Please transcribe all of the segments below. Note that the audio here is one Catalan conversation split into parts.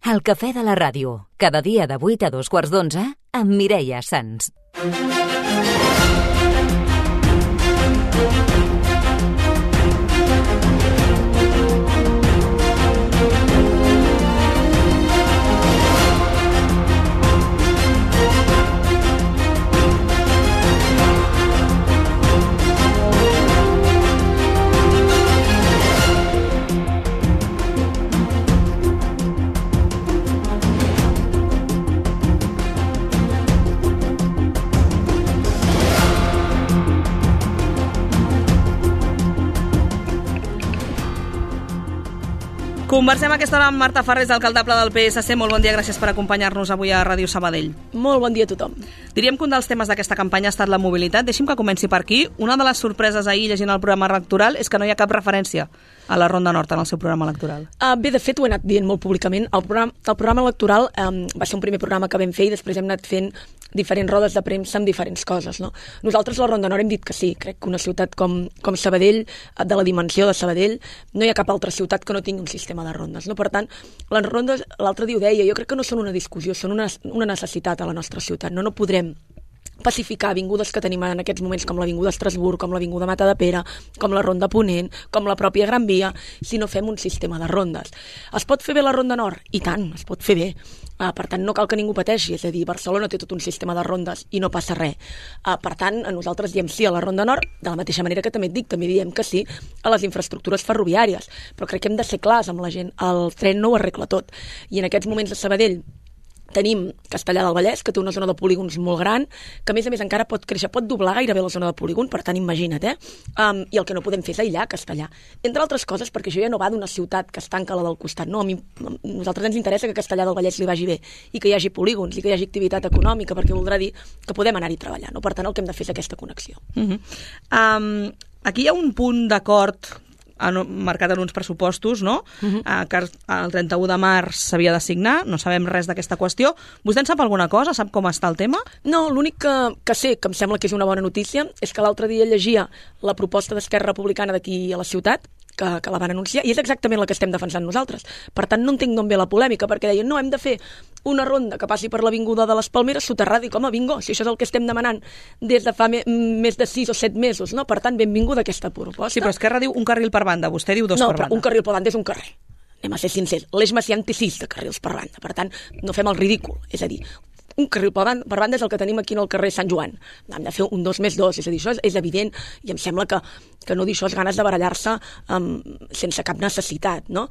El cafè de la ràdio, cada dia de 8 a 2:15 amb Mireia Sans. Conversem aquesta hora amb Marta Farrés, alcaldable del PSC. Molt bon dia, gràcies per acompanyar-nos avui a Ràdio Sabadell. Molt bon dia a tothom. Diríem que un dels temes d'aquesta campanya ha estat la mobilitat. Deixi'm que comenci per aquí. Una de les sorpreses ahir llegint el programa electoral és que no hi ha cap referència a la Ronda Nord en el seu programa electoral. Bé, de fet, ho he anat dient molt públicament. El programa electoral va ser un primer programa que vam fer i després hem anat fent diferents rodes de premsa amb diferents coses, no? Nosaltres a la Ronda Nord hem dit que sí. Crec que una ciutat com Sabadell, de la dimensió de Sabadell, no hi ha cap altra ciutat que no tingui un sistema de rondes, no? Per tant, les rondes, l'altre dia ho deia, jo crec que no són una discussió, són una necessitat a la nostra ciutat, no? No podrem pacificar avingudes que tenim en aquests moments com l'Avinguda Estrasburg, com l'Avinguda Matadepera, com la Ronda Ponent, com la pròpia Gran Via, si no fem un sistema de rondes. Es pot fer bé la Ronda Nord? I tant, es pot fer bé. Per tant, no cal que ningú pateixi, és a dir, Barcelona té tot un sistema de rondes i no passa res. Per tant, nosaltres diem sí a la Ronda Nord, de la mateixa manera que també et dic, també diem que sí a les infraestructures ferroviàries, però crec que hem de ser clars amb la gent, el tren no ho arregla tot. I en aquests moments de Sabadell tenim Castellar del Vallès, que té una zona de polígons molt gran, que a més encara pot créixer, pot doblar gairebé la zona de polígon, per tant, imagina't, I el que no podem fer és aïllar Castellar. Entre altres coses, perquè això ja no va d'una ciutat que es tanca a la del costat, no, a nosaltres ens interessa que Castellar del Vallès li vagi bé i que hi hagi polígons i que hi hagi activitat econòmica, perquè voldrà dir que podem anar-hi treballant, no? Per tant, el que hem de fer és aquesta connexió. Aquí hi ha un punt d'acord marcat en uns pressupostos, no? Que el 31 de març s'havia de signar, no sabem res d'aquesta qüestió. Vostè en sap alguna cosa? Sap com està el tema? No, l'únic que sé, que em sembla que és una bona notícia, és que l'altre dia llegia la proposta d'Esquerra Republicana d'aquí a la ciutat, que la van anunciar, i és exactament la que estem defensant nosaltres. Per tant, no entenc d'on ve la polèmica, perquè deien, no, hem de fer una ronda que passi per l'Avinguda de les Palmeres soterrada, i com a bingo, si això és el que estem demanant des de fa més de 6 o 7 mesos, no? Per tant, benvinguda aquesta proposta. Sí, però Esquerra diu un carril per banda, vostè diu dos per banda. No, però un carril per banda és un carrer. Anem a ser sincers. L'Eix Macià en té 6 de carrils per banda. Per tant, no fem el ridícul. És a dir, un carril per banda és el que tenim aquí en el carrer Sant Joan. Hem de fer un 2+2, és a dir, això és evident, i em sembla que no dir això és ganes de barallar-se sense cap necessitat, no?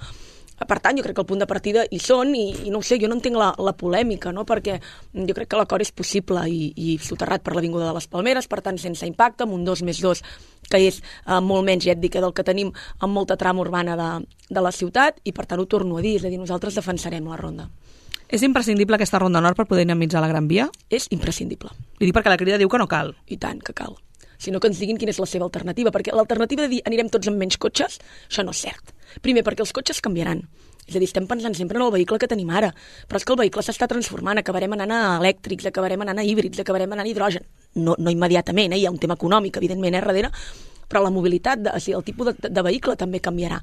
Per tant, jo crec que el punt de partida hi són i no ho sé, jo no entenc la polèmica, no? Perquè jo crec que l'acord és possible i soterrat per l'Avinguda de les Palmeres, per tant, sense impacte, amb un 2+2 que és molt menys, ja et dic, del que tenim amb molta trama urbana de la ciutat, i per tant ho torno a dir, és a dir, nosaltres defensarem la ronda. És imprescindible aquesta Ronda Nord per poder dinamitzar la Gran Via? És imprescindible. Li dic perquè la Crida diu que no cal. I tant que cal. Sinó que ens diguin quina és la seva alternativa, perquè l'alternativa de dir anirem tots amb menys cotxes, això no és cert. Primer, perquè els cotxes canviaran. És a dir, estem pensant sempre en el vehicle que tenim ara, però és que el vehicle s'està transformant, acabarem anant a elèctrics, acabarem anant a híbrids, acabarem anant a hidrogen. No immediatament, hi ha un tema econòmic, evidentment, darrere, però la mobilitat, el tipus de vehicle també canviarà.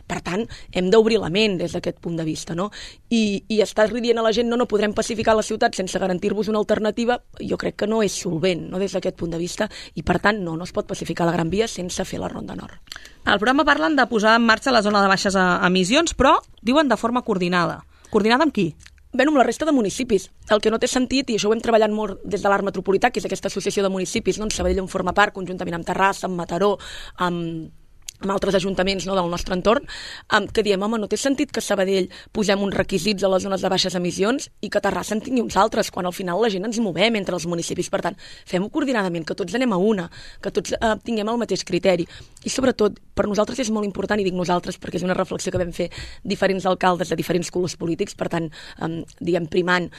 Per tant, hem d'obrir la ment des d'aquest punt de vista, no? I estar dient a la gent no podrem pacificar la ciutat sense garantir-vos una alternativa, jo crec que no és solvent, no, des d'aquest punt de vista, i per tant no es pot pacificar la Gran Via sense fer la Ronda Nord. Al programa parlen de posar en marxa la zona de baixes emissions, però diuen de forma coordinada. Coordinada amb qui? Bé, amb la resta de municipis. El que no té sentit, i això ho hem treballat molt des de l'Arc Metropolità, que és aquesta associació de municipis, no? Sabadell en forma part, conjuntament amb Terrassa, amb Mataró, amb altres ajuntaments, no, del nostre entorn, que diem, home, no té sentit que a Sabadell posem uns requisits a les zones de baixes emissions i que a Terrassa en tingui uns altres, quan al final la gent ens movem entre els municipis. Per tant, fem-ho coordinadament, que tots anem a una, que tots tinguem el mateix criteri. I sobretot, per nosaltres és molt important, i dic nosaltres perquè és una reflexió que vam fer diferents alcaldes de diferents colors polítics, per tant, diguem, primant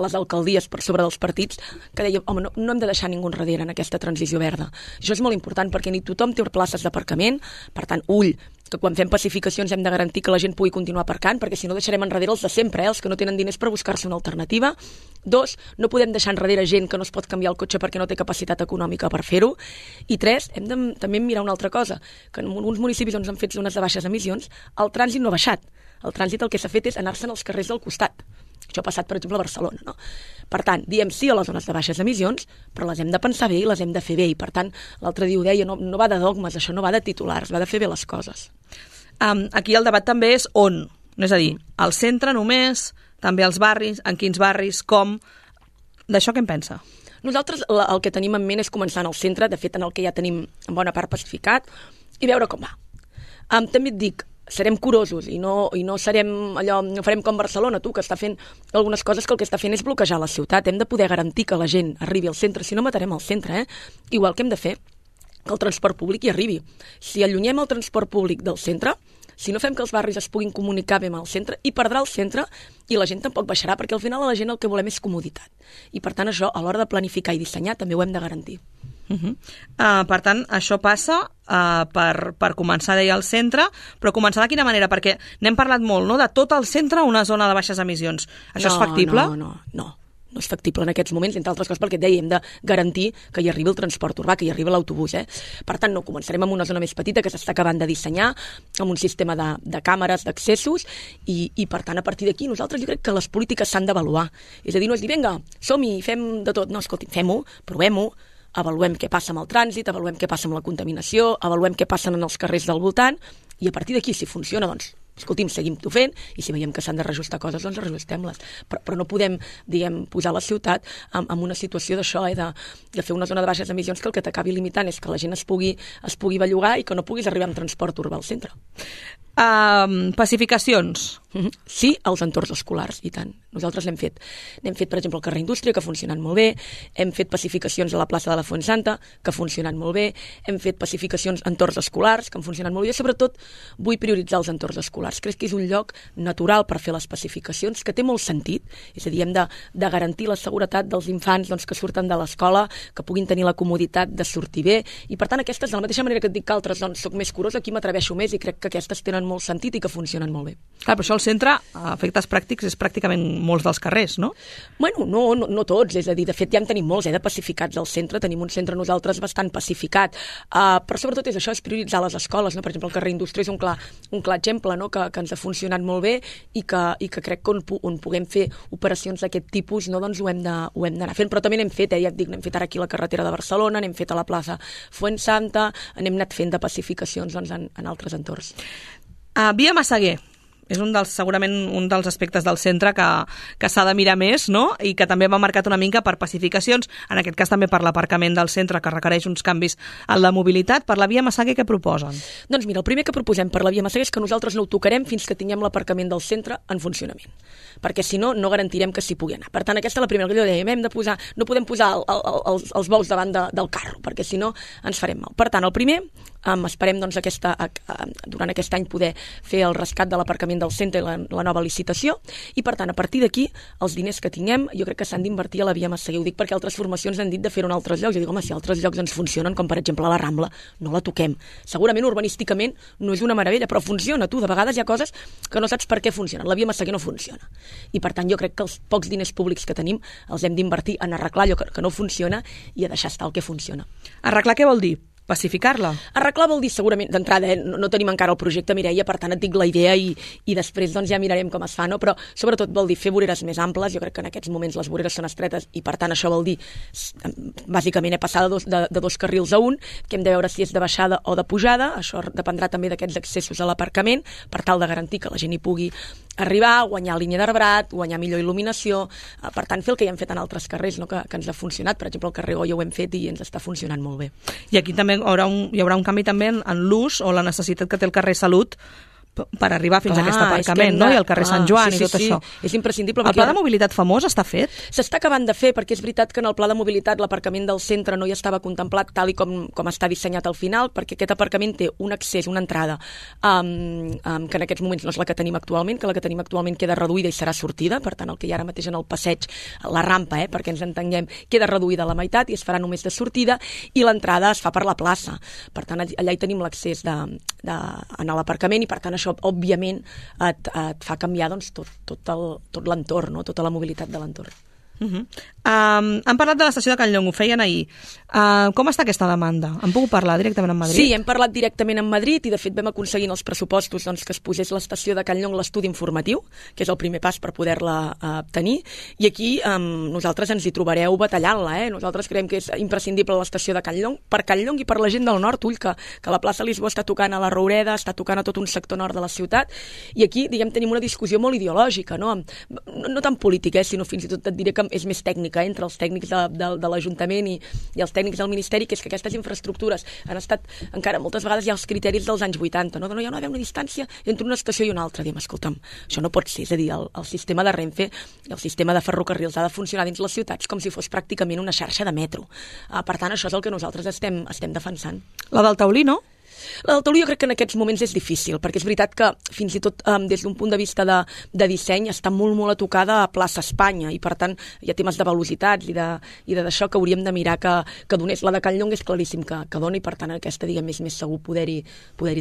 les alcaldies per sobre dels partits, que dèiem, home, no hem de deixar ningú enrere en aquesta transició verda. Això és molt important perquè ni tothom té places d'aparcament. Per tant, ull, que quan fem pacificacions hem de garantir que la gent pugui continuar aparcant, perquè si no deixarem enrere els de sempre, els que no tenen diners per buscar-se una alternativa. 2, no podem deixar enrere gent que no es pot canviar el cotxe perquè no té capacitat econòmica per fer-ho. I 3, hem de també mirar una altra cosa, que en alguns municipis on s'han fet zones de baixes emissions, el trànsit no ha baixat. El trànsit el que s'ha fet és anar-se'n als carrers del costat. Això ha passat, per exemple, a Barcelona, no? Per tant, diem sí a les zones de baixes emissions, però les hem de pensar bé i les hem de fer bé. I, per tant, l'altre dia ho deia, no va de dogmes, això no va de titulars, va de fer bé les coses. Aquí el debat també és on. És a dir, al centre només, també als barris, en quins barris, com... D'això què en pensa? Nosaltres el que tenim en ment és començar en el centre, de fet en el que ja tenim en bona part pacificat, i veure com va. També et dic, serem curosos i no serem allò, no farem com Barcelona, tu, que està fent algunes coses que el que està fent és bloquejar la ciutat. Hem de poder garantir que la gent arribi al centre, si no matarem el centre, Igual que hem de fer que el transport públic hi arribi. Si allunyem el transport públic del centre, si no fem que els barris es puguin comunicar bé amb el centre, hi perdrà el centre i la gent tampoc baixarà, perquè al final a la gent el que volem és comoditat. I per tant això, a l'hora de planificar i dissenyar, també ho hem de garantir. Per tant, això passa per començar, deia, al centre, però començar de quina manera? Perquè n'hem parlat molt, no?, de tot el centre una zona de baixes emissions. Això és factible? No és factible en aquests moments, entre altres coses perquè et deia, hem de garantir que hi arribi el transport urbà, que hi arribi l'autobús. Per tant, no, començarem amb una zona més petita que s'està acabant de dissenyar, amb un sistema de càmeres, d'accessos, i per tant, a partir d'aquí, nosaltres jo crec que les polítiques s'han d'avaluar. És a dir, no és dir, vinga, som-hi, fem de tot. No, escolti, fem-ho, provem-ho, avaluem què passa amb el trànsit, avaluem què passa amb la contaminació, avaluem què passa en els carrers del voltant, i a partir d'aquí, si funciona, doncs, escolti'm, seguim-ho fent, i si veiem que s'han de reajustar coses, doncs reajustem-les. Però no podem, diguem, posar la ciutat en una situació d'això, de fer una zona de baixes emissions que el que t'acabi limitant és que la gent es pugui bellugar i que no puguis arribar amb transport urbà al centre. Pacificacions. Sí, als entorns escolars, i tant. Nosaltres n'hem fet. N'hem fet, per exemple, el carrer Indústria, que ha funcionat molt bé. Hem fet pacificacions a la plaça de la Fuensanta, que ha funcionat molt bé. Hem fet pacificacions a entorns escolars, que han funcionat molt bé. Jo, sobretot, vull prioritzar els entorns escolars. Crec que és un lloc natural per fer les pacificacions, que té molt sentit. És a dir, hem de garantir la seguretat dels infants que surten de l'escola, que puguin tenir la comoditat de sortir bé. I, per tant, aquestes, de la mateixa manera que et dic que altres, soc més curosa, aquí m'atreveixo més i crec que aquestes tenen molt sentit i que funcionen molt bé. Clar, però això al centre, a efectes pràctics, és pràcticament molts dels carrers, no? Bueno, no tots, és a dir, de fet ja en tenim molts, de pacificats al centre, tenim un centre nosaltres bastant pacificat, però sobretot és això, és prioritzar les escoles, no? Per exemple, el carrer Indústria és un clar exemple, no? que ens ha funcionat molt bé i que crec que on puguem fer operacions d'aquest tipus, no? Doncs ho hem d'anar fent, però també n'hem fet, ja et dic, n'hem fet ara aquí a la carretera de Barcelona, n'hem fet a la plaça Fuensanta, n'hem anat fent de pacificacions en altres entorns. Via Massaguer és segurament un dels aspectes del centre que s'ha de mirar més, no? I que també va marcat una mica per pacificacions, en aquest cas també per l'aparcament del centre, que requereix uns canvis en la mobilitat. Per la via Massaguer, què proposen? Doncs mira, el primer que proposem per la via Massaguer és que nosaltres no ho tocarem fins que tinguem l'aparcament del centre en funcionament, perquè si no, no garantirem que s'hi pugui anar. Per tant, aquesta és la primera que jo dèiem, no podem posar els bous davant del carro, perquè si no ens farem mal. Per tant, el primer, esperem doncs, durant aquest any poder fer el rescat de l'aparcament del centre i la nova licitació, i per tant, a partir d'aquí, els diners que tinguem, jo crec que s'han d'invertir a la via Massaguer. Ho dic perquè altres formacions han dit de fer-ho en altres llocs. Jo dic, home, si altres llocs ens funcionen, com per exemple la Rambla, no la toquem. Segurament urbanísticament no és una meravella, però funciona, tu. De vegades hi ha coses que no saps per què funcionen. La via Massaguer no funciona. I per tant, jo crec que els pocs diners públics que tenim els hem d'invertir en arreglar allò que no funciona i a deixar estar el que funciona. Arreglar què vol dir? Pacificar-la? Arreglar vol dir segurament, d'entrada, no tenim encara el projecte, Mireia, per tant et dic la idea i després doncs, ja mirarem com es fa, no? Però sobretot vol dir fer voreres més amples. Jo crec que en aquests moments les voreres són estretes i per tant això vol dir, bàsicament, passar de dos carrils a un, que hem de veure si és de baixada o de pujada. Això dependrà també d'aquests accessos a l'aparcament, per tal de garantir que la gent hi pugui arribar, guanyar línia d'arbrat, guanyar millor il·luminació, per tant fer el que ja hem fet en altres carrers, no? que ens ha funcionat. Per exemple, el carrer Goya ho hem fet i ens està funcionant molt bé. I aquí també hi haurà un canvi també en l'ús o la necessitat que té el carrer Salut per arribar fins a aquest aparcament, no? I el carrer Sant Joan i tot això. És imprescindible. El pla de mobilitat famós està fet? S'està acabant de fer, perquè és veritat que en el pla de mobilitat l'aparcament del centre no hi estava contemplat tal i com està dissenyat al final, perquè aquest aparcament té un accés, una entrada, que en aquests moments no és la que tenim actualment, que la que tenim actualment queda reduïda i serà sortida, per tant el que hi ha ara mateix en el passeig, la rampa, perquè ens entenguem, queda reduïda a la meitat i es farà només de sortida, i l'entrada es fa per la plaça. Per tant, allà hi tenim l'accés a l'aparcament i per tant això òbviament et fa canviar doncs, tot l'entorn, no? Tota la mobilitat de l'entorn. Han parlat de l'estació de Can Llong, ho feien ahir. Com està aquesta demanda? Han pogut parlar directament amb Madrid? Sí, hem parlat directament amb Madrid i de fet vam aconseguir en els pressupostos que es posés l'estació de Can Llong l'estudi informatiu, que és el primer pas per poder-la tenir, i aquí nosaltres ens hi trobareu batallant-la. Nosaltres creiem que és imprescindible l'estació de Can Llong, per Can Llong i per la gent del nord, que la plaça Lisboa està tocant a la Roureda, està tocant a tot un sector nord de la ciutat, i aquí, tenim una discussió molt ideològica, no tan política, sinó fins i tot et diré que és més tècnica, entre els tècnics de l'Ajuntament i els tècnics del Ministeri, que és que aquestes infraestructures han estat, encara moltes vegades hi ha els criteris dels anys 80, no? Hi ha una distància entre una estació i una altra. Diem, escolta'm, això no pot ser, és a dir, el sistema de Renfe, el sistema de ferrocarrils ha de funcionar dins les ciutats com si fos pràcticament una xarxa de metro. Per tant, això és el que nosaltres estem defensant. La del Taulí, no? La del Taulí jo crec que en aquests moments és difícil, perquè és veritat que fins i tot des d'un punt de vista de disseny està molt a tocada a plaça Espanya i per tant hi ha temes de velocitats i d'això que hauríem de mirar que donés. La de Can Llong és claríssim que dona i per tant aquesta és més segur poder-hi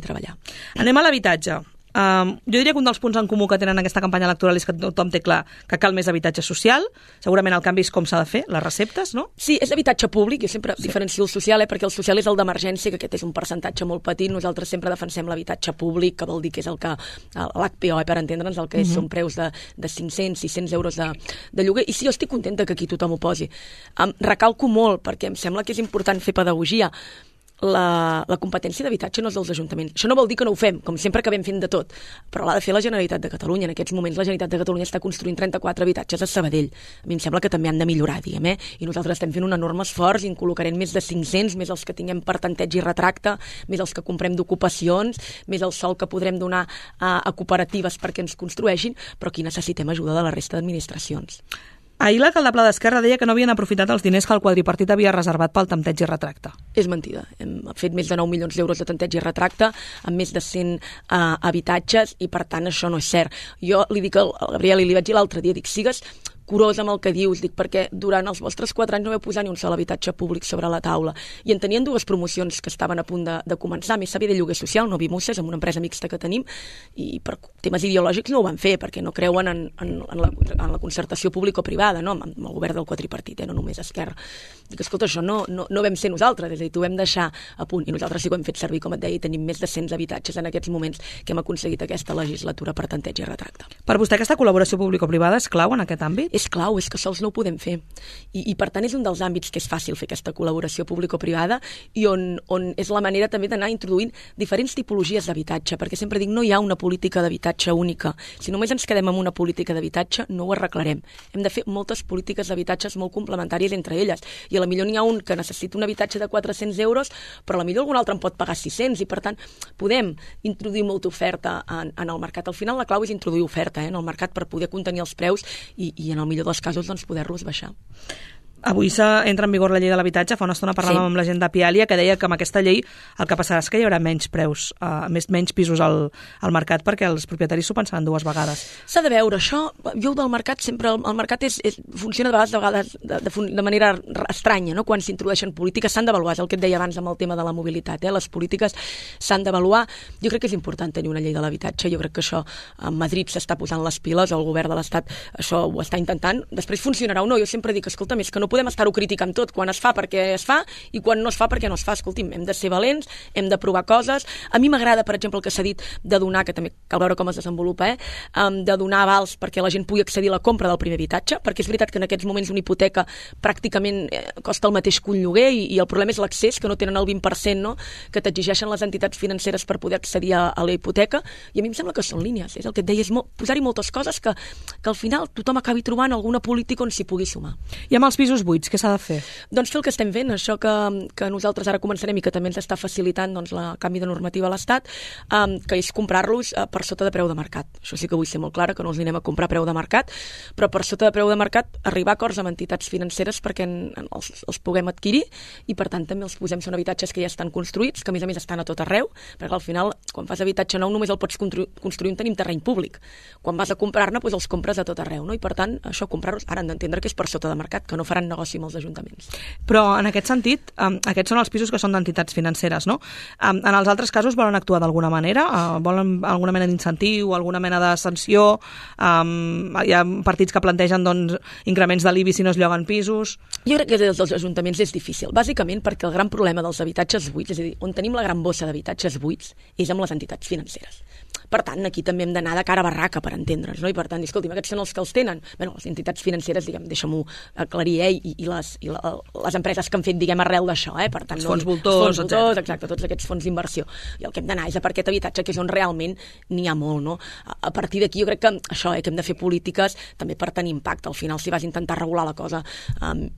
treballar. Anem a l'habitatge. Jo diria que un dels punts en comú que tenen aquesta campanya electoral és que tothom té clar que cal més habitatge social. Segurament el canvi és com s'ha de fer, les receptes, no? Sí, és habitatge públic, jo sempre diferencio el social, perquè el social és el d'emergència, que aquest és un percentatge molt petit. Nosaltres sempre defensem l'habitatge públic, que vol dir que és el que l'HPO, per entendre'ns, el que són preus de 500, 600 euros de lloguer. I sí, jo estic contenta que aquí tothom ho posi. Recalco molt, perquè em sembla que és important fer pedagogia. La competència d'habitatge no és dels ajuntaments. Això no vol dir que no ho fem, com sempre acabem fent de tot, però l'ha de fer la Generalitat de Catalunya. En aquests moments la Generalitat de Catalunya està construint 34 habitatges a Sabadell. A mi em sembla que també han de millorar, diguem, i nosaltres estem fent un enorme esforç i en col·locarem més de 500, més els que tinguem per tanteig i retracte, més els que comprem d'ocupacions, més el sòl que podrem donar a cooperatives perquè ens construeixin, però aquí necessitem ajuda de la resta d'administracions. Ahir l'alcalde Pla d'Esquerra deia que no havien aprofitat els diners que el quadripartit havia reservat pel tanteig i retracte. És mentida. Hem fet més de 9 milions d'euros de tanteig i retracte amb més de 100 habitatges i per tant això no és cert. Jo li dic al Gabriel i li vaig dir l'altre dia, dic, sigues curós amb el que dius, dic, perquè durant els vostres 4 anys no vau posar ni un sol habitatge públic sobre la taula. I en tenien 2 promocions que estaven a punt de començar, més sabia de lloguer social, no Vimusses, amb una empresa mixta que tenim, i per temes ideològics no ho van fer, perquè no creuen en la concertació público-privada, no? Amb el govern del quadripartit, no només Esquerra. Dic, escolta, això no vam ser nosaltres, és a dir, t'ho vam deixar a punt, i nosaltres sí que ho hem fet servir, com et deia, i tenim més de 100 habitatges en aquests moments que hem aconseguit aquesta legislatura per tanteig i retracte. Per vostè aquesta col·laboració público-privada és clau en aquest àmbit? És clau, és que sols no ho podem fer. I per tant és un dels àmbits que és fàcil fer aquesta col·laboració público-privada i on és la manera també d'anar introduint diferents tipologies d'habitatge, perquè sempre dic, no hi ha una política d'habitatge única. Si només ens quedem amb una política d'habitatge, no ho arreglarem. Hem de fer moltes polítiques d'habitatges molt complementàries entre elles. I a la millor n'hi ha un que necessita un habitatge de 400 euros, però a la millor algun altre en pot pagar 600, i per tant podem introduir molta oferta en el mercat. Al final la clau és introduir oferta en el mercat per poder contenir els preus i en el millor dels casos poder-los baixar. Avui entra en vigor la llei de l'habitatge. Fa una estona parlàvem amb la gent de Pialia que deia que amb aquesta llei el que passarà és que hi haurà menys preus, menys pisos al mercat perquè els propietaris s'ho pensaran 2 vegades. S'ha de veure, això, jo del mercat sempre, el mercat funciona de vegades de manera estranya, no? Quan s'introdueixen polítiques s'han d'avaluar, és el que et deia abans amb el tema de la mobilitat, les polítiques s'han d'avaluar. Jo crec que és important tenir una llei de l'habitatge, jo crec que això a Madrid s'està posant les piles, el govern de l'Estat això ho està intentant, després funcionarà o no. Jo sempre dic, escolta, més que no podem estar-ho criticant tot, quan es fa perquè es fa i quan no es fa perquè no es fa. Escolti'm, hem de ser valents, hem de provar coses. A mi m'agrada, per exemple, el que s'ha dit de donar, que també cal veure com es desenvolupa, de donar avals perquè la gent pugui accedir a la compra del primer habitatge, perquè és veritat que en aquests moments una hipoteca pràcticament costa el mateix que un lloguer i el problema és l'accés, que no tenen el 20%, no? Que t'exigeixen les entitats financeres per poder accedir a la hipoteca, i a mi em sembla que són línies, és el que et deia, és posar-hi moltes coses que al final tothom acabi trobant alguna política on s'hi pugui sumar. I amb els pisos buits, què s'ha de fer? Doncs fer el que estem fent, això que nosaltres ara començarem i que també ens està facilitant el canvi de normativa a l'Estat, que és comprar-los per sota de preu de mercat. Això sí que vull ser molt clara, que no els anem a comprar a preu de mercat, però per sota de preu de mercat arribar a acords amb entitats financeres perquè els puguem adquirir i per tant també els posem, són habitatges que ja estan construïts, que a més estan a tot arreu, perquè al final quan fas habitatge nou només el pots construir on tenim terreny públic. Quan vas a comprar-ne, doncs els compres a tot arreu, no? I per tant, això comprar-los, ara han d'entendre que és per sota de mercat, que no faran fan negoci amb els ajuntaments. Però en aquest sentit, aquests són els pisos que són d'entitats financeres, no? En els altres casos volen actuar d'alguna manera? Volen alguna mena d'incentiu, alguna mena de sanció? Hi ha partits que plantegen doncs, increments de l'IBI si no es lloguen pisos? Jo crec que des dels ajuntaments és difícil, bàsicament perquè el gran problema dels habitatges buits, és a dir, on tenim la gran bossa d'habitatges buits, és amb les entitats financeres. Per tant, aquí també hem d'anar de cara a barraca per entendre'ns, no? I per tant, escolti'm, aquests són els que els tenen. Bé, les entitats financeres, diguem, deixa-m'ho aclarir, i les empreses que han fet, diguem, arrel d'això, Per tant, els fons voltors, exacte, tots aquests fons d'inversió. I el que hem d'anar és a per aquest habitatge, que és on realment n'hi ha molt, no? A partir d'aquí jo crec que això, que hem de fer polítiques també per tenir impacte. Al final, si vas intentar regular la cosa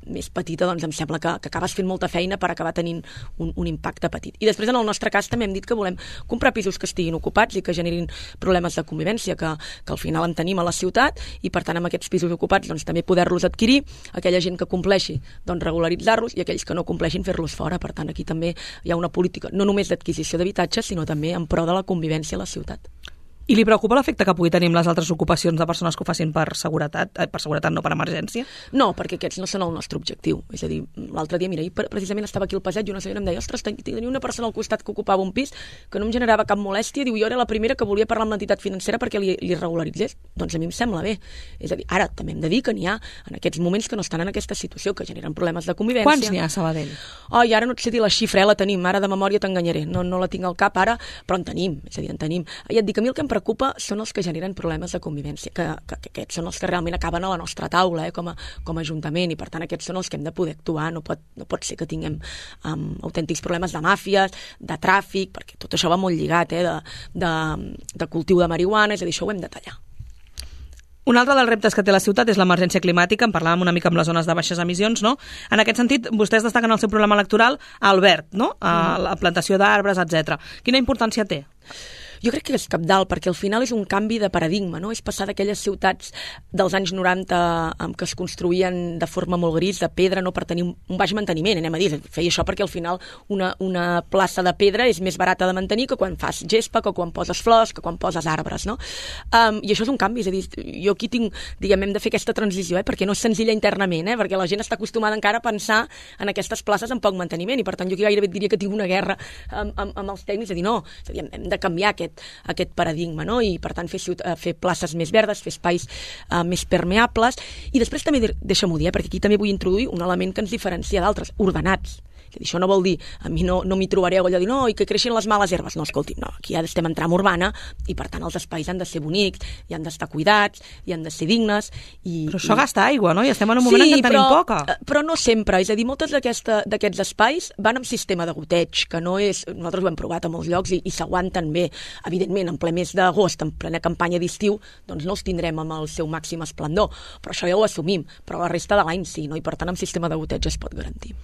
més petita, doncs em sembla que acabes fent molta feina per acabar tenint un impacte petit. I després, en el nostre cas, també hem dit que volem comprar pisos que estiguin ocupats i que generin problemes de convivència, que al final en tenim a la ciutat, i per tant amb aquests pisos ocupats doncs, també poder-los adquirir, aquella gent que compleixi doncs, regularitzar-los, i aquells que no compleixin fer-los fora. Per tant, aquí també hi ha una política no només d'adquisició d'habitatges, sinó també en pro de la convivència a la ciutat. I li preocupa l'efecte que pugui tenir amb les altres ocupacions de persones que ho facin per seguretat, no per emergència? No, perquè aquests no són el nostre objectiu. És a dir, l'altre dia, mira, precisament estava aquí al passeig i una senyora em deia, ostres, tenia una persona al costat que ocupava un pis que no em generava cap molèstia, diu, jo era la primera que volia parlar amb l'entitat financera perquè li regularitzés. Doncs a mi em sembla bé. És a dir, ara també hem de dir que n'hi ha en aquests moments que no estan en aquesta situació, que generen problemes de convivència. Quants n'hi ha a Sabadell? I ara no et sé dir la xifra, la tenim, ara de memòria t'enganyaré, no la tinc al cap ara, però en tenim, és a dir, en tenim. I et dic, a mi el que em preocupa són els que generen problemes de convivència, que aquests són els que realment acaben a la nostra taula com a ajuntament, i per tant aquests són els que hem de poder actuar. No pot ser que tinguem autèntics problemes de màfies, de tràfic, perquè tot això va molt lligat, de cultiu de marihuana, és a dir, això ho hem de tallar. Un altre dels reptes que té la ciutat és l'emergència climàtica, en parlàvem una mica amb les zones de baixes emissions, no? En aquest sentit, vostès destaquen el seu programa electoral al verd, no? A la plantació d'arbres, etc. Quina importància té? Jo crec que és cabdal, perquè al final és un canvi de paradigma, no? És passar d'aquelles ciutats dels anys 90 que es construïen de forma molt gris, de pedra, no per tenir un baix manteniment, anem a dir. Feia això perquè al final una plaça de pedra és més barata de mantenir que quan fas gespa, que quan poses flors, que quan poses arbres, no? I això és un canvi, és a dir, jo aquí tinc, diguem, hem de fer aquesta transició, perquè no és senzilla internament, perquè la gent està acostumada encara a pensar en aquestes places amb poc manteniment, i per tant jo gairebé diria que tinc una guerra amb els tècnics, és a dir, no, és a dir, hem de canviar aquest paradigma, no? I per tant fer places més verdes, fer espais més permeables, i després també deixa-m'ho dir, perquè aquí també vull introduir un element que ens diferencia d'altres, ordenats. Això no vol dir, a mi no m'hi trobaré allò de dir, no, i que creixin les males herbes. No, escolti'm, no, aquí ja estem en tram urbana, i per tant els espais han de ser bonics, i han d'estar cuidats, i han de ser dignes. Però això gasta aigua, no? I estem en un moment en què en tenim poca. Però no sempre, és a dir, moltes d'aquests espais van amb sistema de goteig, que no és, nosaltres ho hem provat a molts llocs i s'aguanten bé. Evidentment, en ple mes d'agost, en plena campanya d'estiu, doncs no els tindrem amb el seu màxim esplendor, però això ja ho assumim, però la resta de l'any sí, no? I per tant amb sistema de goteig es pot garantir.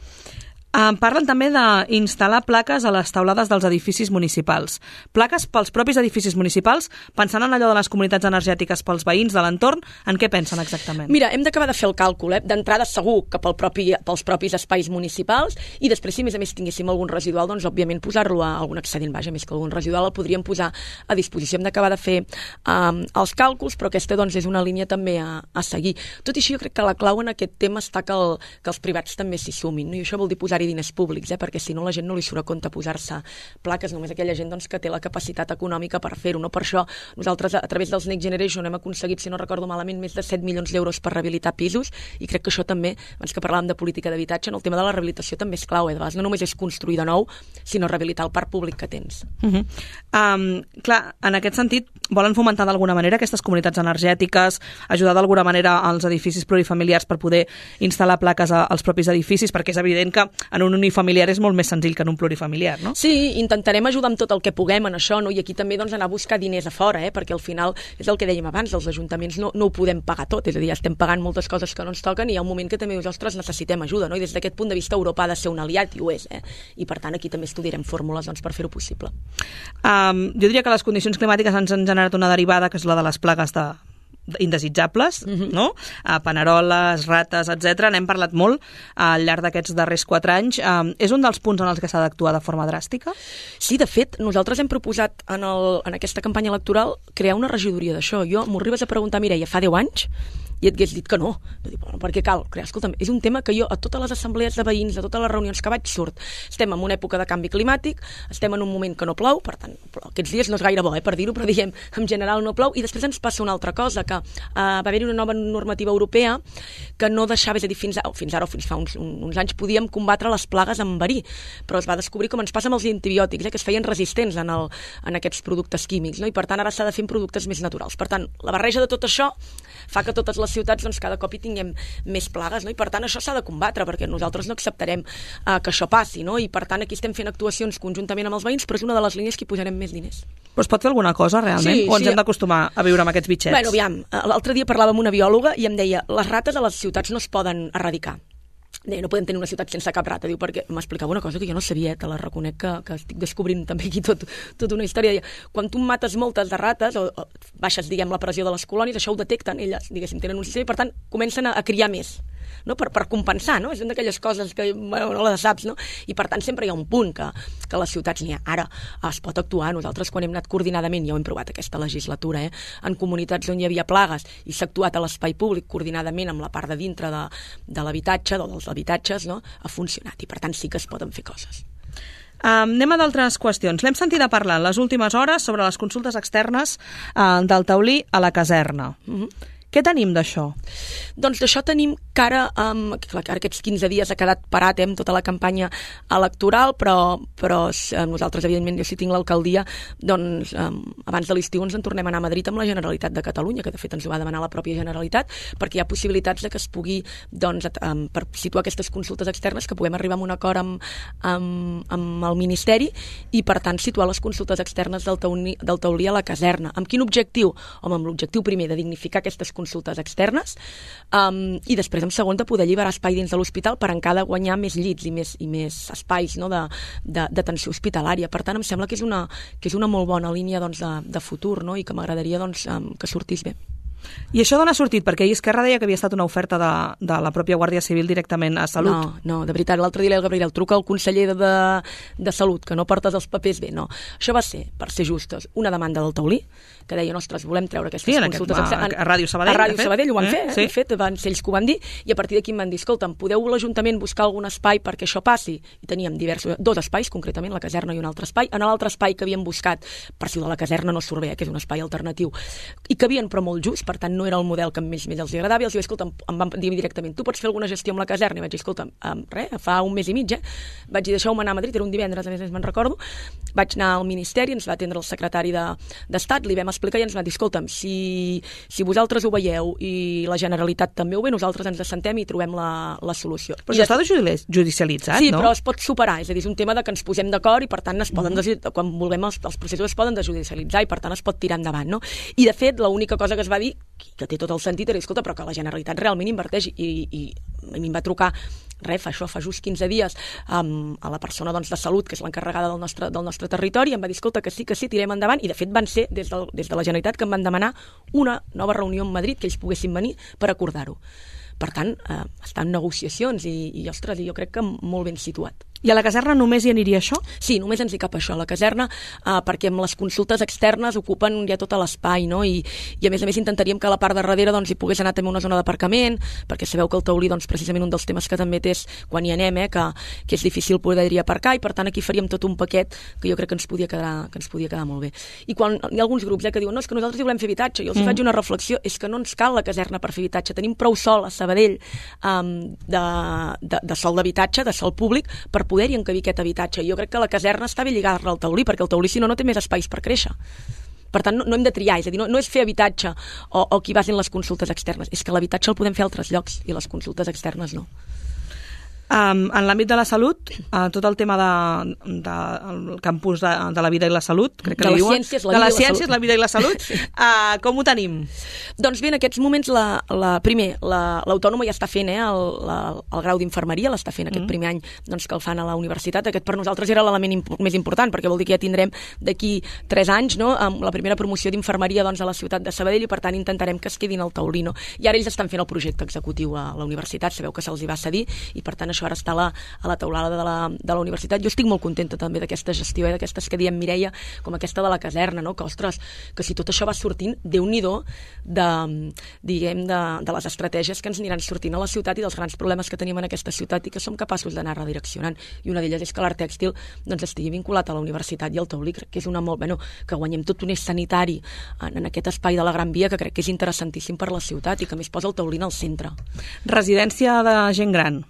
Parlen també d'instal·lar plaques a les teulades dels edificis municipals. Plaques pels propis edificis municipals, pensant en allò de les comunitats energètiques pels veïns de l'entorn, en què pensen exactament? Mira, hem d'acabar de fer el càlcul, D'entrada segur que pels propis espais municipals, i després si a més tinguéssim algun residual, doncs òbviament posar-lo a algun excedent, més que algun residual el podríem posar a disposició. Hem d'acabar de fer els càlculs, però aquesta doncs és una línia també a seguir. Tot i així jo crec que la clau en aquest tema està que els privats també s'hi sumin, no? I això vol dir posar-hi diners públics, perquè si no la gent no li surt a compte posar-se plaques, només aquella gent doncs, que té la capacitat econòmica per fer-ho, no? Per això nosaltres a través dels Next Generation hem aconseguit, si no recordo malament, més de 7 milions d'euros per rehabilitar pisos, i crec que això també, abans que parlàvem de política d'habitatge, en el tema de la rehabilitació també és clau, de vegades no només és construir de nou, sinó rehabilitar el parc públic que tens. Clar, en aquest sentit, volen fomentar d'alguna manera aquestes comunitats energètiques, ajudar d'alguna manera als edificis plurifamiliars per poder instal·lar plaques als propis edificis, perquè és evident que en un unifamiliar és molt més senzill que en un plurifamiliar, no? Sí, intentarem ajudar amb tot el que puguem en això, no? I aquí també doncs, anar a buscar diners a fora, perquè al final és el que dèiem abans, els ajuntaments no ho podem pagar tot, és a dir, ja estem pagant moltes coses que no ens toquen i hi ha un moment que també nosaltres necessitem ajuda, no? I des d'aquest punt de vista Europa ha de ser un aliat, i ho és, i per tant aquí també estudiarem fórmules doncs, per fer-ho possible. Jo diria que les condicions climàtiques ens han generat una derivada que és la de les plagues indesitjables, no? Paneroles, rates, etc. N'hem parlat molt al llarg d'aquests darrers 4 anys. És un dels punts en els que s'ha d'actuar de forma dràstica? Sí, de fet, nosaltres hem proposat en aquesta campanya electoral crear una regidoria d'això. M'ho arribes a preguntar, Mireia, fa 10 anys i et hagués dit que no. Perquè cal crear. Escolta'm, és un tema que jo a totes les assemblees de veïns, a totes les reunions que vaig surt, estem en una època de canvi climàtic, estem en un moment que no plou, per tant, aquests dies no és gaire bo, per dir-ho, però diguem, en general no plou, i després ens passa una altra cosa, que va haver-hi una nova normativa europea que no deixava, és a dir, fins ara o fins fa uns anys podíem combatre les plagues amb verí, però es va descobrir com ens passa amb els antibiòtics, que es feien resistents en aquests productes químics, no? I per tant ara s'ha de fer en productes més naturals. Per tant, la barreja de tot això fa que totes les ciutats doncs, cada cop hi tinguem més plagues, no? I per tant això s'ha de combatre, perquè nosaltres no acceptarem que això passi, no? I per tant aquí estem fent actuacions conjuntament amb els veïns, però és una de les línies que hi posarem més diners. Però es pot fer alguna cosa realment? Sí, o ens hem d'acostumar a viure amb aquests bitxets? Bueno, aviam, l'altre dia parlava amb una biòloga i em deia, les rates a les ciutats no es poden erradicar. Deia, no podem tenir una ciutat sense cap rata. Diu, perquè m'explicava una cosa que jo no sabia, te la reconec que estic descobrint també aquí tota una història. Deia, quan tu mates moltes de rates o baixes, diguem, la pressió de les colònies, això ho detecten elles, diguéssim, tenen un sistema i per tant comencen a criar més, no? per compensar, no? És una d'aquelles coses que no les saps, no? I per tant sempre hi ha un punt que a les ciutats n'hi ha. Ara es pot actuar. Nosaltres quan hem anat coordinadament, ja ho hem provat aquesta legislatura, en comunitats on hi havia plagues i s'ha actuat a l'espai públic coordinadament amb la part de dintre de l'habitatge, dels habitatges, no? Ha funcionat i per tant sí que es poden fer coses. Anem a d'altres qüestions. L'hem sentit a parlar en les últimes hores sobre les consultes externes del taulí a la caserna. Què tenim d'això? Doncs d'això tenim que ara aquests 15 dies ha quedat parat amb tota la campanya electoral, però nosaltres, evidentment, jo si tinc l'alcaldia, doncs abans de l'estiu ens en tornem a anar a Madrid amb la Generalitat de Catalunya, que de fet ens ho va demanar la pròpia Generalitat, perquè hi ha possibilitats de que es pugui, doncs, per situar aquestes consultes externes, que puguem arribar a un acord amb el Ministeri i, per tant, situar les consultes externes del taulí a la caserna. Amb quin objectiu? Home, amb l'objectiu primer de dignificar aquestes consultes externes i després en segon de poder alliberar espai dins de l'hospital per encara guanyar més llits i més espais, no, d'atenció hospitalària. Per tant, em sembla que és una molt bona línia, doncs, de futur, no? I que m'agradaria, doncs, que sortís bé. I això d'on ha sortit? Perquè ahir Esquerra deia que havia estat una oferta de la pròpia Guàrdia Civil directament a Salut. No, de veritat, l'altre dia el Gabriel truca al conseller de Salut, que no portes els papers bé, no. Això va ser, per ser justes, una demanda del taulí, que deia, ostres, volem treure aquestes consultes... A Ràdio Sabadell. A Ràdio Sabadell ho van fer, de fet, van ser ells que ho van dir, i a partir d'aquí em van dir, escolta'm, podeu l'Ajuntament buscar algun espai perquè això passi? I teníem dos espais, concretament la caserna i un altre espai. En l'altre espai que havíem buscat, per si de la caserna no surt bé, que és un espai alternatiu, i que havien, però molt just, per tant, no era el model que més els agradava, i els dic, escolta'm, em van dir directament, tu pots fer alguna gestió amb la caserna? I vaig dir, escolta'm, fa un mes i mig, vaig dir, deixeu-me anar a Madrid, era un divendres, a més me'n recordo, vaig anar al Ministeri, ens va atendre el secretari d'Estat, li vam explicar i ens va dir, escolta'm, si vosaltres ho veieu i la Generalitat també ho ve, nosaltres ens assentem i trobem la solució. Però això està judicialitzat, sí, no? Sí, però es pot superar, és a dir, és un tema de que ens posem d'acord i per tant es poden quan vulguem els processos es poden desjudicialitzar i per tant es pot tirar endavant, no? I de fet, l'única cosa que es va dir, que té tot el sentit, era, escolta, però que la Generalitat realment inverteix i a mi em va trucar fa just 15 dies a la persona, doncs, de Salut, que és l'encarregada del nostre territori, i em va dir, escolta, que sí, tirem endavant, i de fet van ser des de la Generalitat que em van demanar una nova reunió a Madrid que ells poguessin venir per acordar-ho. Per tant, està en negociacions i ostres, jo crec que molt ben situat. I a la caserna només hi aniria això? Sí, només ens hi cap això, a la caserna, perquè amb les consultes externes ocupen ja tot l'espai, no? I a més intentaríem que a la part de darrere doncs, hi pogués anar també una zona d'aparcament, perquè sabeu que el taulí, doncs, precisament un dels temes que també té és quan hi anem, que és difícil poder-hi aparcar, i per tant aquí faríem tot un paquet que jo crec que ens podia quedar molt bé. I quan hi ha alguns grups que diuen, no, és que nosaltres hi volem fer habitatge, jo els faig una reflexió, és que no ens cal la caserna per fer habitatge, tenim prou sol a Sabadell de sol d'habitatge, de sol públic, per poder-hi encabir aquest habitatge. Jo crec que la caserna està bé lligada al taulí, perquè el taulí, si no té més espais per créixer. Per tant, no hem de triar, és a dir, no és fer habitatge o qui basin les consultes externes, és que l'habitatge el podem fer a altres llocs i les consultes externes no. En l'àmbit de la salut, tot el tema del campus de la vida i la salut, crec que li diuen, de les ciències, la vida i la salut, com ho tenim? Doncs bé, en aquests moments, primer, l'autònoma ja està fent el grau d'infermeria, l'està fent aquest primer any doncs, que el fan a la universitat. Aquest per nosaltres era l'element més important, perquè vol dir que ja tindrem d'aquí 3 anys, no, amb la primera promoció d'infermeria doncs, a la ciutat de Sabadell, i per tant intentarem que es quedin al taulí, no? I ara ells estan fent el projecte executiu a la universitat, sabeu que se'ls hi va cedir, i per tant això ara està a la taulada de la universitat. Jo estic molt contenta també d'aquesta gestió, d'aquestes que diem Mireia, com aquesta de la caserna, no? Que, ostres, que si tot això va sortint, Déu-n'hi-do de les estratègies que ens aniran sortint a la ciutat i dels grans problemes que tenim en aquesta ciutat i que som capaços d'anar redireccionant. I una d'elles és que l'art tèxtil doncs, estigui vinculat a la universitat i al taulí, crec que és una molt... Bueno, que guanyem tot un eix sanitari en aquest espai de la Gran Via que crec que és interessantíssim per la ciutat i que a més posa el taulí al centre. Residència de gent gran.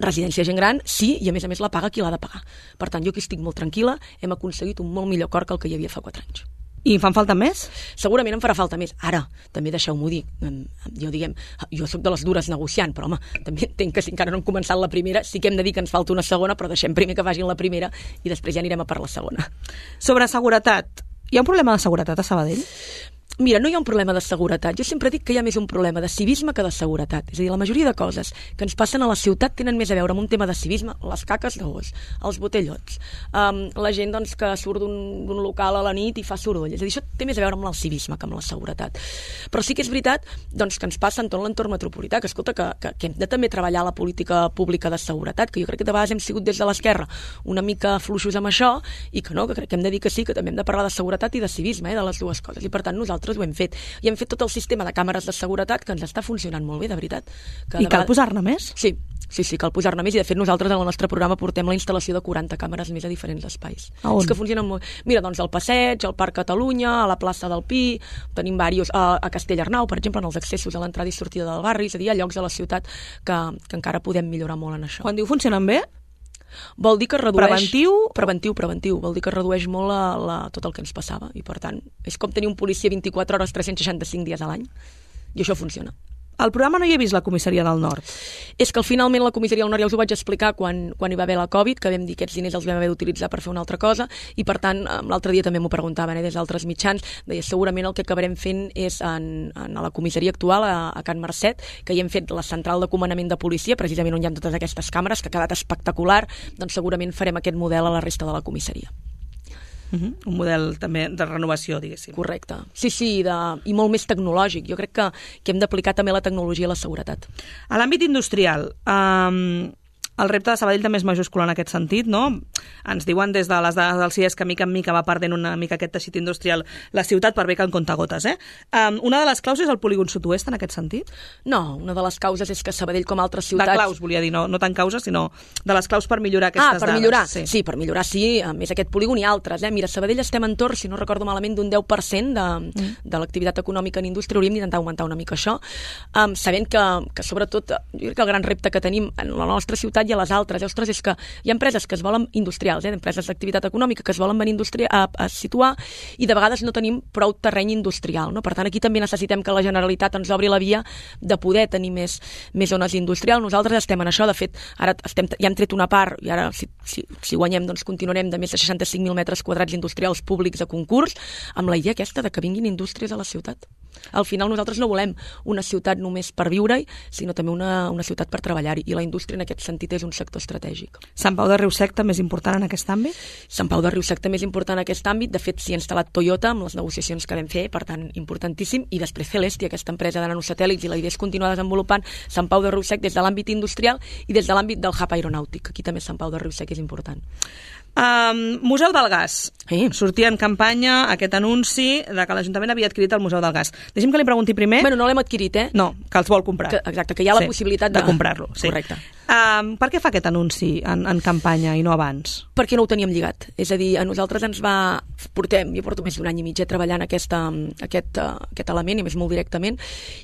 Residència gent gran, sí, i a més la paga qui l'ha de pagar. Per tant, jo aquí estic molt tranquil·la, hem aconseguit un molt millor acord que el que hi havia fa 4 anys. I en fan falta més? Segurament en farà falta més. Ara, també deixeu-m'ho dir, jo soc de les dures negociant, però home, també entenc que si encara no hem començat la primera, sí que hem de dir que ens falta una segona, però deixem primer que vagin la primera i després ja anirem a per la segona. Sobre seguretat, hi ha un problema de seguretat a Sabadell? Mira, no hi ha un problema de seguretat. Jo sempre dic que hi ha més un problema de civisme que de seguretat. És a dir, la majoria de coses que ens passen a la ciutat tenen més a veure amb un tema de civisme, les caques de gos, els botellots, la gent doncs, que surt d'un local a la nit i fa soroll. És a dir, això té més a veure amb el civisme que amb la seguretat. Però sí que és veritat doncs, que ens passa en tot l'entorn metropolità, que escolta, que hem de també treballar la política pública de seguretat, que jo crec que de vegades hem sigut des de l'esquerra una mica fluixos amb això i que no, que crec que hem de dir que sí, que també hem de parlar de seguretat i de civisme, de les dues coses. I per tant nosaltres ho hem fet. I hem fet tot el sistema de càmeres de seguretat que ens està funcionant molt bé, de veritat. I cal posar-ne més? Sí, cal posar-ne més i de fet nosaltres en el nostre programa portem la instal·lació de 40 càmeres més a diferents espais. És que funcionen molt. Mira, doncs al Passeig, al Parc Catalunya, a la plaça del Pi, tenim diversos, a Castellarnau, per exemple, en els accessos a l'entrada i sortida del barri, és a dir, hi ha llocs de la ciutat que encara podem millorar molt en això. Quan diu funcionen bé? Vol dir que redueix... Preventiu? Vol dir que redueix molt tot el que ens passava i per tant és com tenir un policia 24 hores 365 dies a l'any i això funciona. Al programa no hi he vist la comissaria del Nord. És que finalment la comissaria del Nord ja us ho vaig explicar quan hi va haver la Covid, que vam dir que aquests diners els vam haver d'utilitzar per fer una altra cosa i per tant l'altre dia també m'ho preguntaven des d'altres mitjans, deia segurament el que acabarem fent és a la comissaria actual a Can Marcet, que hi hem fet la central de comandament de policia, precisament on hi ha totes aquestes càmeres, que ha quedat espectacular, doncs segurament farem aquest model a la resta de la comissaria. Un model també de renovació, diguéssim. Correcte. Sí, i molt més tecnològic. Jo crec que hem d'aplicar també la tecnologia a la seguretat. A l'àmbit industrial, el repte de Sabadell també és majúscul en aquest sentit, no? Ens diuen des de les dades del CIES que mica en mica va perdent una mica aquest teixit industrial la ciutat per bé que en comptagotes, Una de les claus és el polígon sud-oest en aquest sentit? No, una de les causes és que Sabadell com altres ciutats... De claus, volia dir, no tant causes, sinó de les claus per millorar aquestes dades. Per millorar? Sí, per millorar sí, a més aquest polígon i altres. Mira, a Sabadell estem entorn, si no recordo malament, d'un 10% de l'activitat econòmica en indústria, hauríem d'intentar augmentar una mica això, sabent que sobretot, jo crec que el gran repte que tenim en la nostra ciutat i a les altres, ostres, és que hi ha empreses que es volen industrials, empreses d'activitat econòmica que es volen venir a situar i de vegades no tenim prou terreny industrial, no? Per tant, aquí també necessitem que la Generalitat ens obri la via de poder tenir més zones industrials. Nosaltres estem en això, de fet, ara ja hem tret una part i ara, si guanyem, doncs continuarem de més de 65.000 metres quadrats industrials públics a concurs, amb la idea aquesta de que vinguin indústries a la ciutat. Al final nosaltres no volem una ciutat només per viure-hi, sinó també una ciutat per treballar-hi, i la indústria en aquest sentit és un sector estratègic. Sant Pau de Riusec també és important en aquest àmbit? Sant Pau de Riusec també és important en aquest àmbit. De fet, s'hi ha instal·lat Toyota amb les negociacions que vam fer, per tant, importantíssim, i després Celesti, aquesta empresa de nanosatèl·lits, i la idea és continuar desenvolupant Sant Pau de Riusec des de l'àmbit industrial i des de l'àmbit del hub aeronàutic. Aquí també Sant Pau de Riusec és important. Museu del Gas. Sortia en campanya aquest anunci de que l'Ajuntament havia adquirit el Museu del Gas. Deixi'm que li pregunti primer... Bueno, no l'hem adquirit, No, que els vol comprar. Exacte, que hi ha la possibilitat de comprar-lo. Sí. Correcte. Per què fa aquest anunci en campanya i no abans? Perquè no ho teníem lligat. És a dir, a nosaltres ens va... Jo porto més d'un any i mig treballant aquest element, i més molt directament,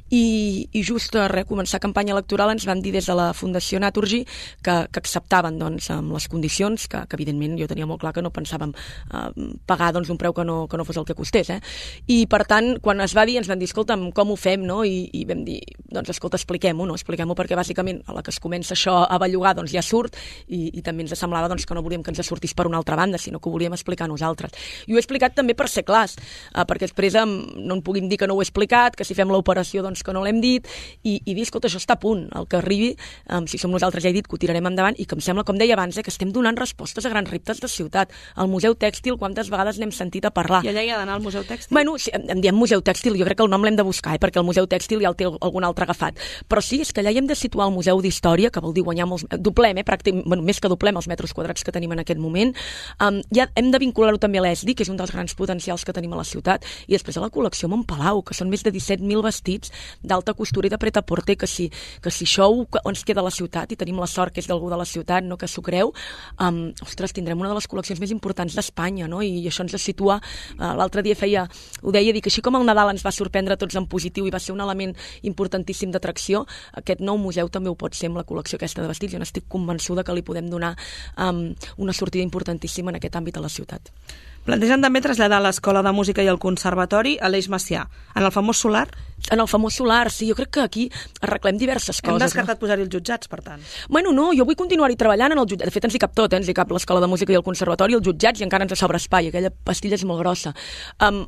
i just a començar campanya electoral ens van dir des de la Fundació Naturgy que acceptaven doncs, amb les condicions, que evidentment jo tenia molt clar que no pensàvem pagar doncs, un preu que no fos el que costés. I per tant, quan es va dir, ens van dir, escolta'm, com ho fem? No? I vam dir, doncs escolta, expliquem-ho, no? Expliquem-ho perquè bàsicament a la que es comença això a bellugar doncs ja surt, i també ens semblava doncs, que no volíem que ens sortís per una altra banda, sinó que ho volíem explicar nosaltres. I ho he explicat també per ser clars, perquè després no en puguin dir que no ho he explicat, que si fem l'operació doncs que no l'hem dit, i dir, escolta, això està a punt, el que arribi, si som nosaltres ja he dit que ho tirarem endavant, i que em sembla, com deia abans, que estem donant respostes a grans reptes de ciutat. El Museu Tèxtil, quantes vegades n'hem sentit a parlar? I allà hi ha d'anar al Museu Tèxtil? Bueno, sí, em diem Museu Tèxtil, jo crec que el nom l'hem de buscar, perquè el Museu Tèxtil ja el té algun altre agafat. Però sí, és que allà hi hem de situar el Museu d'Història, que vol dir dir guanyar doblem, més que doblem els metres quadrats que tenim en aquest moment. Ja hem de vincular-ho també a l'ESDI, que és un dels grans potencials que tenim a la ciutat, i després a la col·lecció Montpalau, que són més de 17.000 vestits d'alta costura i de pret-a-porter, que si això ens queda a la ciutat i tenim la sort que és d'algú de la ciutat, no, que s'ho creu, ostres, tindrem una de les col·leccions més importants d'Espanya, no? I això ens situa, l'altre dia ho deia, dic, així com el Nadal ens va sorprendre a tots en positiu i va ser un element importantíssim d'atracció, aquest nou museu també ho pot ser amb la col·lecció aquesta de vestits. Jo n'estic convençuda que li podem donar una sortida importantíssima en aquest àmbit a la ciutat. Plantegen també traslladar l'Escola de Música i el Conservatori a l'Eix Macià, en el famós solar? En el famós solar, sí, jo crec que aquí arreglem diverses coses. Hem descartat posar-hi els jutjats, per tant. Bueno, no, jo vull continuar-hi treballant en el jutjat. De fet, ens hi cap tot, ens hi cap l'Escola de Música i el Conservatori, els jutjats, i encara ens sobra espai, aquella pastilla és molt grossa.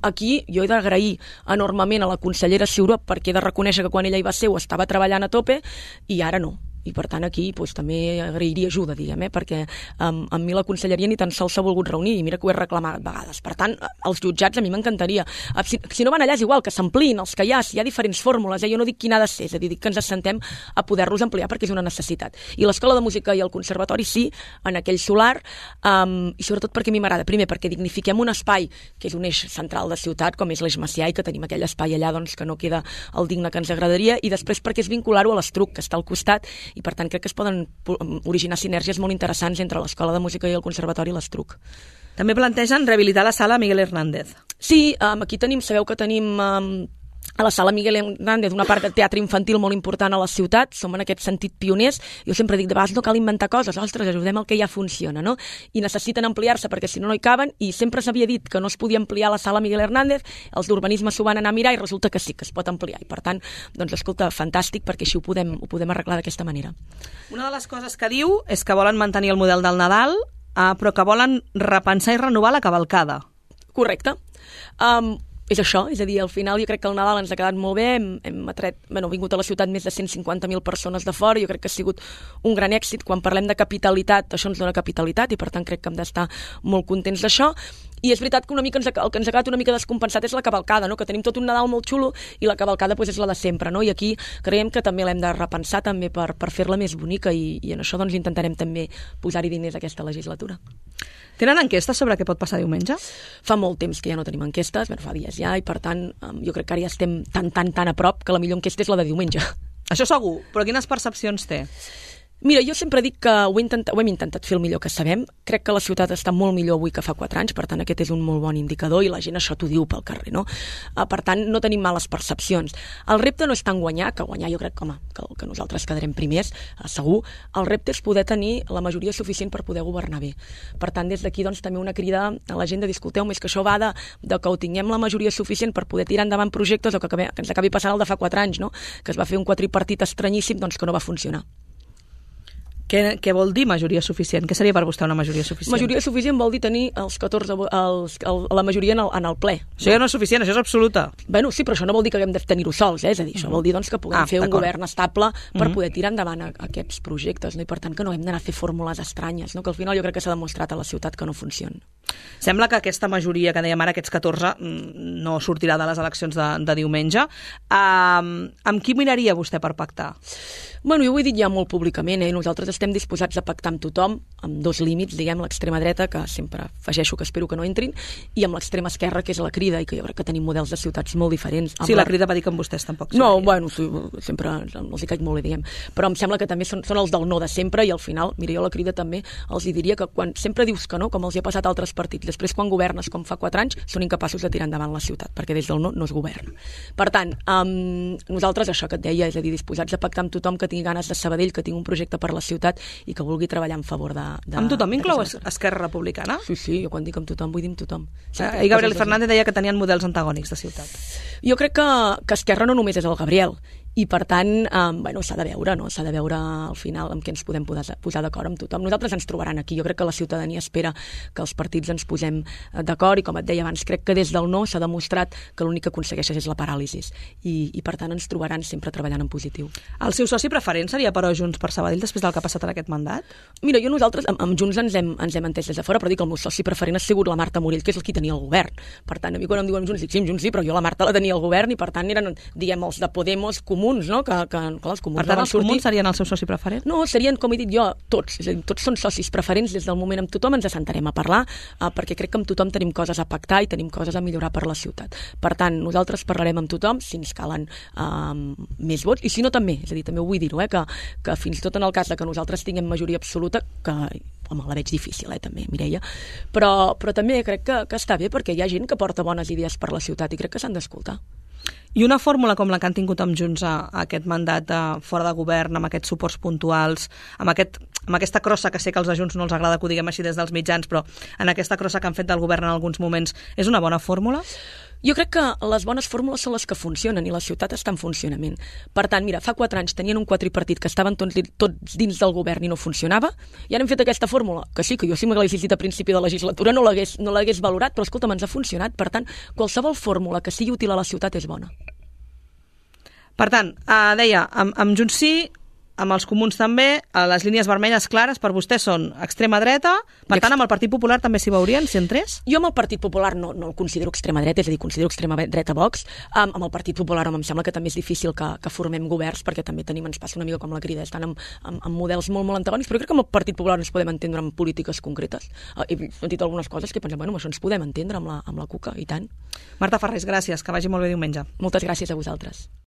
Aquí jo he d'agrair enormement a la consellera Ciuró, perquè he de reconèixer que quan ella hi va ser ho estava treballant a tope, i ara no. I per tant aquí també agrairia ajuda, diguem, perquè amb mi la conselleria ni tan sols s'ha volgut reunir, i mira que ho he reclamat vegades. Per tant, els jutjats a mi m'encantaria. Si no van allà és igual, que s'ampliïn els que hi ha, si hi ha diferents fórmules, jo no dic quina ha de ser, és a dir, dic que ens assentem a poder-los ampliar perquè és una necessitat. I l'Escola de Música i el Conservatori sí, en aquell solar, i sobretot perquè a mi m'agrada. Primer, perquè dignifiquem un espai que és un eix central de ciutat, com és l'Eix Macià, i que tenim aquell espai allà que no queda el digne que ens agradaria, i després perquè és vincular-ho a l'Estruc, que està al costat, i per tant crec que es poden originar sinergies molt interessants entre l'Escola de Música i el Conservatori i l'Estruc. També plantegen rehabilitar la sala Miguel Hernández. Sí, aquí sabeu que tenim a la sala Miguel Hernández una part de teatre infantil molt important a la ciutat, som en aquest sentit pioners. Jo sempre dic, de vegades no cal inventar coses, ostres, ajudem el que ja funciona, no? I necessiten ampliar-se perquè si no hi caben, i sempre s'havia dit que no es podia ampliar la sala Miguel Hernández, els d'urbanisme s'ho van anar a mirar i resulta que sí, que es pot ampliar, i per tant, doncs escolta, fantàstic, perquè així ho podem arreglar d'aquesta manera. Una de les coses que diu és que volen mantenir el model del Nadal, però que volen repensar i renovar la cavalcada. Correcte. És això, és a dir, al final jo crec que el Nadal ens ha quedat molt bé, hem vingut a la ciutat més de 150.000 persones de fora, jo crec que ha sigut un gran èxit. Quan parlem de capitalitat, això ens dona capitalitat, i per tant crec que hem d'estar molt contents d'això. I és veritat que una mica el que ens ha quedat una mica descompensat és la cavalcada, no? Que tenim tot un Nadal molt xulo i la cavalcada és la de sempre, no? I aquí creiem que també l'hem de repensar també per fer-la més bonica, i en això doncs intentarem també posar-hi diners aquesta legislatura. Tenen enquestes sobre què pot passar diumenge? Fa molt temps que ja no tenim enquestes, fa dies ja, i per tant jo crec que ara ja estem tan a prop que la millor enquesta és la de diumenge. Això segur, però quines percepcions té? Mira, jo sempre dic que ho hem intentat fer el millor que sabem. Crec que la ciutat està molt millor avui que fa 4 anys, per tant aquest és un molt bon indicador, i la gent això t'ho diu pel carrer, no? Per tant, no tenim males percepcions. El repte no és tant guanyar, que guanyar jo crec que nosaltres quedarem primers, segur. El repte és poder tenir la majoria suficient per poder governar bé. Per tant, des d'aquí doncs, també una crida a la gent de dir, escolteu, més que això va de que ho tinguem la majoria suficient per poder tirar endavant projectes, o que ens acabi passant el de fa 4 anys, no? Que es va fer un quadripartit estranyíssim, doncs que no va funcionar. Què vol dir majoria suficient? Què seria per vostè una majoria suficient? Majoria suficient vol dir tenir la majoria en el ple. Això ja no és suficient, això és absoluta. Bueno, sí, però això no vol dir que haguem de tenir-ho sols, és a dir, això vol dir doncs, que puguem fer un govern estable per poder tirar endavant aquests projectes, no? I per tant que no hem d'anar a fer fórmules estranyes, no? Que al final jo crec que s'ha demostrat a la ciutat que no funciona. Sembla que aquesta majoria que dèiem ara, aquests 14, no sortirà de les eleccions de diumenge. Amb qui miraria vostè per pactar? Bueno, jo ho he dit ja molt públicament, nosaltres estem disposats a pactar amb tothom, amb 2 límits, diguem, l'extrema dreta, que sempre afegeixo que espero que no entrin, i amb l'extrema esquerra, que és la Crida, i que jo crec que tenim models de ciutats molt diferents. Sí, la Crida va dir que amb vostès tampoc. No, bueno, sí, sempre els hi caig molt bé, diguem, però em sembla que també són els del no de sempre, i al final, mira, jo la Crida també els hi diria que quan sempre dius que no, com els hi ha passat a altres partits, després quan governes com fa 4 anys, són incapaços de tirar endavant la ciutat, perquè des del no es governa. Per tant, nosaltres, això que et deia, és a dir, disposats a pactar amb tothom que tingui ganes de Sabadell, que tingui un projecte per la ciutat i que vulgui treballar en favor de... Amb tothom inclou Esquerra Republicana? Sí, jo quan dic amb tothom vull dir amb tothom. I Gabriel Fernández deia que tenien models antagònics de ciutat. Jo crec que Esquerra no només és el Gabriel, i per tant, s'ha de veure, no? S'ha de veure al final amb què ens podem posar d'acord amb tothom. Nosaltres ens trobaran aquí, jo crec que la ciutadania espera que els partits ens posem d'acord, i com et deia abans, crec que des del no s'ha demostrat que l'únic que aconsegueixes és la paràlisi, i per tant ens trobaran sempre treballant en positiu. El seu soci preferent seria, però, Junts per Sabadell després del que ha passat en aquest mandat? Mira, nosaltres amb Junts ens hem entès des de fora, però dic que el meu soci preferent ha sigut la Marta Morell, que és el qui tenia el govern. Per tant, a mi quan em diuen Junts, dic sí, Junts sí, però jo la Marta la tenia al govern, i per tant eren, diguem, els de Podemos, comuns, no? Que clar, els comuns Per tant, els comuns serien el seu soci preferent? No, serien, com he dit jo, tots. És a dir, tots són socis preferents des del moment. Amb tothom ens assentarem a parlar, perquè crec que amb tothom tenim coses a pactar i tenim coses a millorar per la ciutat. Per tant, nosaltres parlarem amb tothom si ens calen més vots, i si no també, és a dir, també ho vull dir-ho, que fins i tot en el cas de que nosaltres tinguem majoria absoluta, que home, la veig difícil, també, Mireia, però també crec que està bé, perquè hi ha gent que porta bones idees per la ciutat i crec que s'han d'escoltar. I una fórmula com la que han tingut amb Junts a aquest mandat fora de govern, amb aquests suports puntuals, amb aquesta crossa que sé que als de Junts no els agrada que ho diguem així des dels mitjans, però en aquesta crossa que han fet del govern en alguns moments, és una bona fórmula? Jo crec que les bones fórmules són les que funcionen i la ciutat està en funcionament. Per tant, mira, fa 4 anys tenien un quadripartit que estaven tots dins del govern i no funcionava, i ara hem fet aquesta fórmula, que sí, que jo si m'hagués dit a principi de legislatura no l'hagués valorat, però escolta'm, ens ha funcionat. Per tant, qualsevol fórmula que sigui útil a la ciutat és bona. Per tant, deia, amb Junts sí, amb els comuns també, les línies vermelles clares per vostès són extrema dreta, per tant amb el Partit Popular també s'hi veurien, si entrés? Jo amb el Partit Popular no el considero extrema dreta, és a dir, considero extrema dreta Vox. Amb el Partit Popular em sembla que també és difícil que formem governs, perquè també ens passa una mica com la Crida, estan amb models molt antagònics, però crec que amb el Partit Popular ens podem entendre amb polítiques concretes. He sentit algunes coses que pensem, bueno, això ens podem entendre amb la CUCA, i tant. Marta Ferrés, gràcies, que vagi molt bé diumenge. Moltes gràcies a vosaltres.